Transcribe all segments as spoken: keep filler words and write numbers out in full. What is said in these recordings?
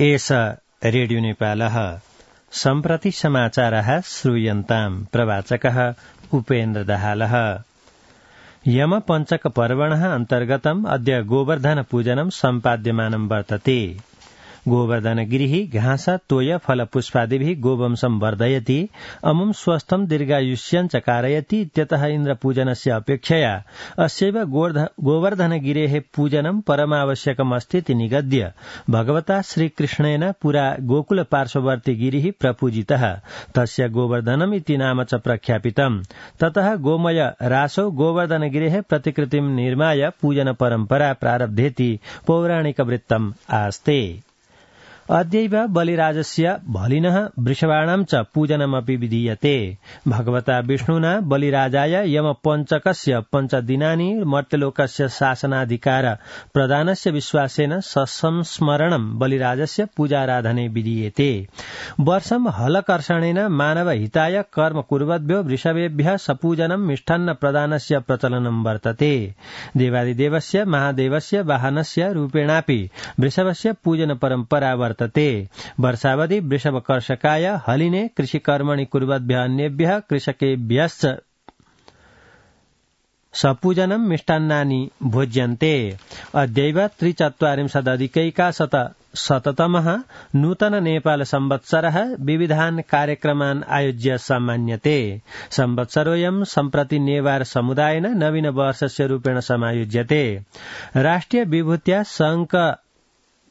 एष रेडियो नेपालः सम्प्रति समाचारः श्रूयन्ताम् प्रवाचकः उपेन्द्र दाहालः। यम पञ्चक पर्वणः अन्तर्गतम् अद्य गोवर्धन पूजनं सम्पाद्यमानं वर्तते। गोवर्धनगिरिः घास तोय फल पुष्पादिभिः गोवंशं वर्धयति, अमुं स्वस्थं दीर्घायुष्यञ्च कारयति इत्यतः इन्द्रपूजनस्य अपेक्षया अस्यैव गोवर्धनगिरेः पूजनं परमावश्यकमस्तीति निगद्य भगवता श्रीकृष्णेन पुरा गोकुल पार्श्ववर्ती गिरिः प्रपूजितः, तस्य गोवर्धनम् इति नाम च प्रख्यापितम्। ततः गोमय रासौ गोवर्धनगिरेः प्रतिकृतिं निर्माय पूजन परम्परा प्रारब्धेति पौराणिकवृत्तम् आस्ते। अद्यैव बलिराजस्य बलिनः वृषभाणां च पूजनमपि विधीयते। भगवता विष्णुना बलिराजाय यमपञ्चकस्य पञ्चदिनानि मर्त्यलोकस्य शासनाधिकार प्रदानस्य विश्वासेन ससंस्मरणं बलिराजस्य पूजाराधने विधीयते। वर्षं हलकर्षणेन मानवहिताय कर्म कुर्वद्भ्यो वृषभेभ्यः सपूजनं मिष्टान्न प्रदानस्य प्रचलनं वर्तते। देवादिदेवस्य महादेवस्य वाहनस्य रूपेणापि वृषभस्य पूजन परम्परा वर्तते। वर्षावधि वृषभकर्षकाय हलिने कृषिकर्मणि कुर्वद्भ्यः अन्येभ्यः कृषकेभ्यश्च सपूजनं मिष्टान्नानि भोज्यन्ते। अद्यैव त्रिचत्वारिंशदधिकैकाशत शततमः नूतन नेपाल संवत्सरः विविधान् कार्यक्रमान् आयोज्य सम्मान्यते। संवत्सरोऽयं सम्प्रति नेवार समुदायेन नवीन वर्षस्य रूपेण समायोज्यते। राष्ट्रिय विभूत्या शंक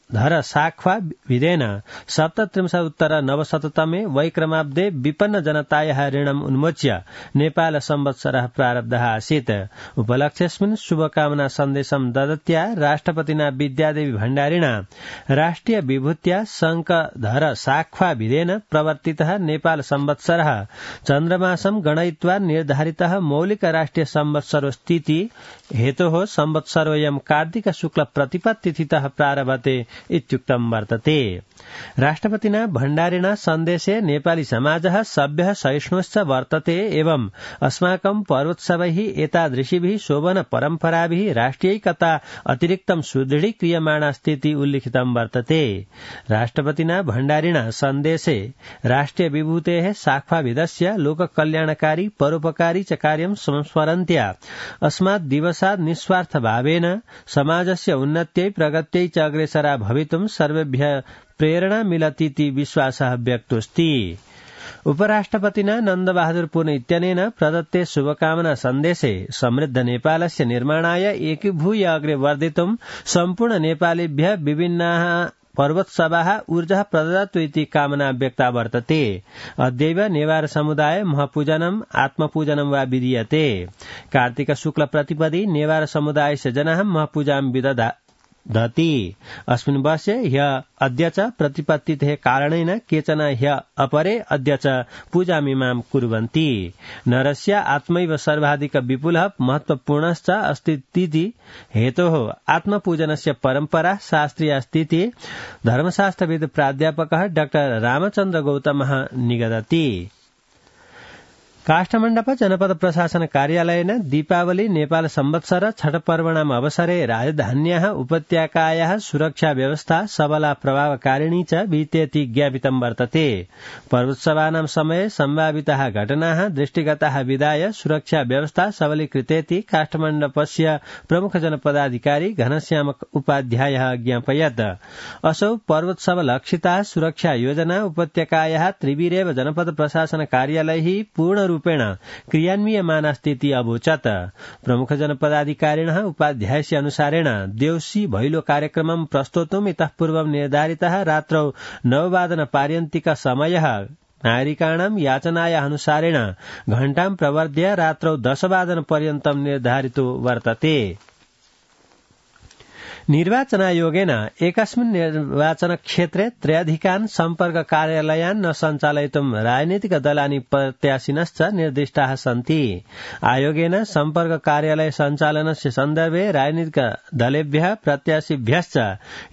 धर साख्वा विधेन सप्तत्रिंशदुत्तर नवशततमे वैक्रमाब्दे विपन्न जनतायाः ऋणम् उन्मोच्य नेपाल संवत्सरः प्रारब्धः आसीत्। उपलक्ष्येऽस्मिन् शुभकामना सन्देशं ददत्या राष्ट्रपतिना विद्यादेवी भण्डारिणा राष्ट्रिय विभूत्या शंकधर साख्वा विधेन प्रवर्तितः नेपाल संवत्सरः चन्द्रमासं गणयित्वा निर्धारितः मौलिक राष्ट्रिय संवत्सरोस्तीति हेतोः संवत्सरोऽयं कार्तिक शुक्ल प्रतिपत्तिथितः प्रारभते इत्युक्तं वर्तते। राष्ट्रपतिना भण्डारिणा सन्देशे नेपाली समाजः सभ्यः सहिष्णुश्च वर्तते एवं अस्माकं पर्वोत्सवैः एतादृशीभिः शोभन परम्पराभिः राष्ट्रियैकता अतिरिक्तं सुदृढीक्रियमाणास्तीति उल्लिखितं वर्तते। राष्ट्रपतिना भण्डारिणा सन्देशे राष्ट्रिय विभूतेः शाख्वाविधस्य लोककल्याणकारी परोपकारी च कार्यं संस्मरन्त्या अस्मात् दिवसात् निस्वार्थ भावेन समाजस्य उन्नत्यै प्रगत्यै च अग्रेसरा भवितुं सर्वेभ्यः प्रेरणा मिलतीति विश्वासः व्यक्तोऽस्ति। उपराष्ट्रपतिना नन्दबहादुर पुन इत्यनेन प्रदत्ते शुभकामना सन्देशे समृद्ध नेपालस्य निर्माणाय एकीभूय अग्रे वर्धितुं सम्पूर्ण नेपालीभ्यः विभिन्नाः पर्वोत्सवाः ऊर्जा प्रददातु इति कामना व्यक्ता वर्तते। अद्यैव नेवार समुदाय महापूजनम् आत्मपूजनं वा विधीयते। कार्तिक शुक्ल प्रतिपदि नेवार समुदायस्य जनाः महापूजां विदधा दति। अस्मिन् वर्षे ह्य अद्य च प्रतिपत्तितेः कारणेन केचन ह्य अपरे अद्य च पूजामिमां कुर्वन्ति। नरस्य आत्मैव सर्वाधिक विपुलः महत्वपूर्णश्च अस्तीति हेतोः आत्मपूजनस्य परम्परा शास्त्रीया अस्तीति धर्मशास्त्रविद् प्राध्यापकः डाक्टर रामचन्द्र गौतमः निगदति। काष्ठमण्डप जनपद प्रशासन कार्यालयेन दीपावली नेपाल संवत्सर छठ पर्वणाम् अवसरे राजधान्याः उपत्यकायाः सुरक्षा व्यवस्था सबला प्रभावकारिणी च विद्येति ज्ञापितं वर्तते। पर्वोत्सवानां समये सम्भाविताः घटनाः दृष्टिगताः विधाय सुरक्षा व्यवस्था सबलीकृतेति काष्ठमण्डपस्य प्रमुख जनपदाधिकारी घनश्याम उपाध्यायः ज्ञापयत्। असौ पर्वोत्सव लक्षिता सुरक्षा योजना उपत्यकायाः त्रिभिरेव जनपद प्रशासन कार्यालयैः पूर्ण रूपेण क्रियान्वीयमानास्तीति अवोचत्। प्रमुख जनपदाधिकारिणः उपाध्यायस्य अनुसारेण देउसी भैलो कार्यक्रमं प्रस्तोतुम् इतः पूर्वं निर्धारितः रात्रौ नववादन पार्यन्तिक समयः नागरिकाणां याचनायाः अनुसारेण घण्टां प्रवर्ध्य रात्रौ दशवादन पर्यन्तं निर्धारितो वर्तते। निर्वाचनायोगेन एकस्मिन् निर्वाचन क्षेत्रे त्रयाधिकान् सम्पर्क कार्यालयान् न सञ्चालयितुं राजनीतिक दलानि प्रत्याशिनश्च निर्दिष्टाः सन्ति। आयोगेन सम्पर्क कार्यालय सञ्चालनस्य सन्दर्भे राजनीतिक दलेभ्यः प्रत्याशिभ्यश्च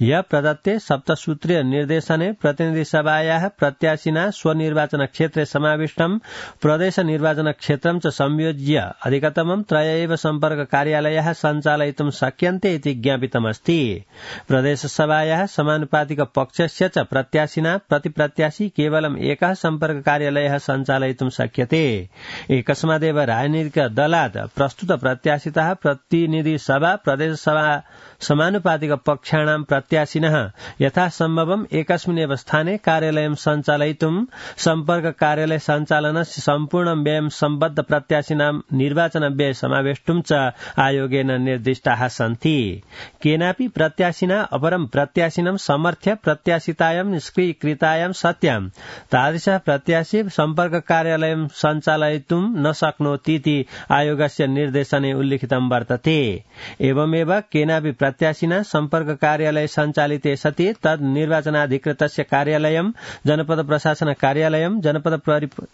ह्य प्रदत्ते सप्तसूत्रीय निर्देशने प्रतिनिधिसभायाः प्रत्याशिना स्वनिर्वाचन क्षेत्रे समाविष्टं प्रदेश निर्वाचन क्षेत्रं च संयोज्य अधिकतमं त्रय एव सम्पर्क कार्यालयाः सञ्चालयितुं शक्यन्ते इति ज्ञापितमस्ति। अस्ति। प्रदेशसभायाः समानुपातिक पक्षस्य च प्रत्याशिना प्रतिप्रत्याशी केवलम् एकः सम्पर्क कार्यालयः सञ्चालयितुं शक्यते। एकस्मादेव राजनीतिक दलात् प्रस्तुत प्रत्याशितः प्रतिनिधि सभा प्रदेशसभा समानुपातिक पक्षाणां प्रत्याशिनः यथासम्भवम् एकस्मिन्नेव स्थाने कार्यालयं सञ्चालयितुं सम्पर्क कार्यालय सञ्चालनस्य सम्पूर्णं व्ययं सम्बद्ध प्रत्याशिनां निर्वाचन व्यय समावेष्टुं च आयोगेन निर्दिष्टाः सन्ति। केनापि प्रत्याशिना अपरं प्रत्याशिनं समर्थ्य प्रत्याशितायां निष्क्रियकृतायां सत्यां तादृशः प्रत्याशी सम्पर्क कार्यालयं सञ्चालयितुं न शक्नोतीति आयोगस्य निर्देशने उल्लिखितं वर्तते। एवमेव केनापि प्रत्याशिना सम्पर्क कार्यालय सञ्चालिते सति तद् निर्वाचनाधिकृतस्य कार्यालयं जनपद प्रशासन कार्यालयं जनपद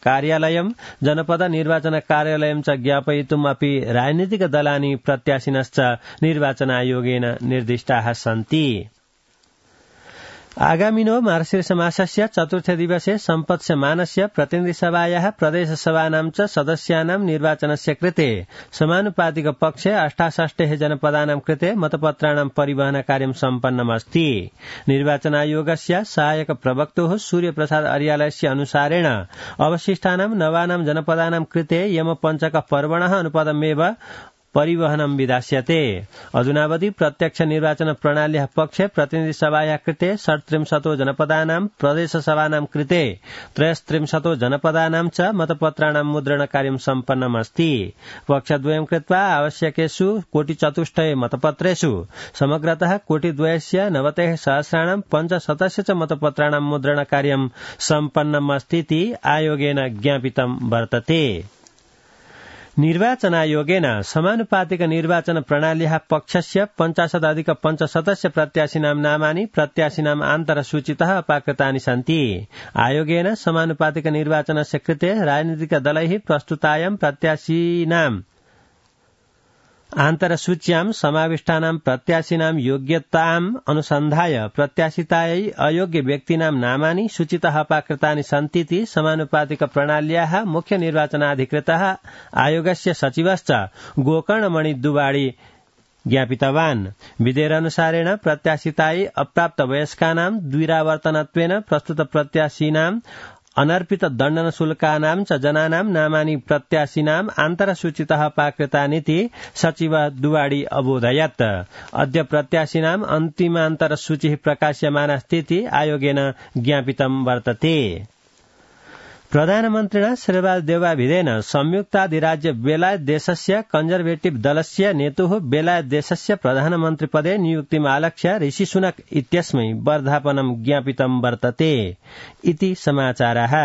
कार्यालयं जनपद निर्वाचन कार्यालयं च ज्ञापयितुम् अपि राजनीतिक दलानि प्रत्याशिनश्च निर्वाचनायोगेन निर्दिष्टाः सन्ति। आगामिनो मार्गशीर्षमासस्य चतुर्थे दिवसे सम्पत्स्यमानस्य प्रतिनिधिसभायाः प्रदेशसभानां च सदस्यानां निर्वाचनस्य कृते समानुपातिक पक्षे अष्टाषष्टेः जनपदानां कृते मतपत्राणां परिवहन कार्यं सम्पन्नमस्ति। निर्वाचनायोगस्य सहायक प्रवक्तुः सूर्यप्रसाद अर्यालयस्य अनुसारेण अवशिष्टानां नवानां जनपदानां कृते यमपञ्चक पर्वणः अनुपदमेव परिवहनं विधास्यते। अधुनावधि प्रत्यक्ष निर्वाचन प्रणाल्याः पक्षे प्रतिनिधिसभायाः कृते षट्त्रिंशतो जनपदानां प्रदेशसभानां कृते त्रयस्त्रिंशतो जनपदानां च मतपत्राणां मुद्रणकार्यं सम्पन्नमस्ति। पक्षद्वयं कृत्वा आवश्यकेषु कोटिचतुष्टये मतपत्रेषु समग्रतः कोटिद्वयस्य नवतिः सहस्राणां पञ्चशतस्य च मतपत्राणां मुद्रणकार्यं सम्पन्नमस्तीति आयोगेन ज्ञापितं वर्तते। निर्वाचनायोगेन समानुपातिक निर्वाचन प्रणाल्याः पक्षस्य पञ्चाशदधिक पञ्चशतस्य प्रत्याशिनां नामानि प्रत्याशिनाम् आन्तरसूचितः अपाकृतानि सन्ति। आयोगेन समानुपातिक निर्वाचनस्य कृते राजनीतिक दलैः प्रस्तुतायां प्रत्याशिनाम् आन्तरसूच्यां समाविष्टानां प्रत्याशिनां योग्यताम् अनुसन्धाय प्रत्याशितायै अयोग्य व्यक्तीनां नामानि सूचितः अपाकृतानि सन्तीति समानुपातिक प्रणाल्याः मुख्य निर्वाचनाधिकृतः आयोगस्य सचिवश्च गोकर्णमणि दुवाडी ज्ञापितवान्। विधेयकानुसारेण प्रत्याशितायै अप्राप्त वयस्कानां द्विरावर्तनत्वेन प्रस्तुत प्रत्याशिनां अनर्पित दण्डन शुल्कानां च जनानां नामानि प्रत्याशिनाम् आन्तरसूचितः अपाकृतानीति सचिव दुवाडी अबोधयत्। अद्य प्रत्याशिनाम् अन्तिमान्तरसूचिः प्रकाश्यमानास्तीति आयोगेन ज्ञापितं वर्तते। प्रधानमन्त्रिणा श्रीर्वाल देवाभिधेन संयुक्ताधिराज्य बेलायत देशस्य कन्जर्वेटिव दलस्य नेतुः बेलायत देशस्य प्रधानमन्त्रिपदे नियुक्तिमालक्ष्य ऋषि सुनक इत्यस्मै वर्धापनं ज्ञापितं वर्तते इति समाचारः।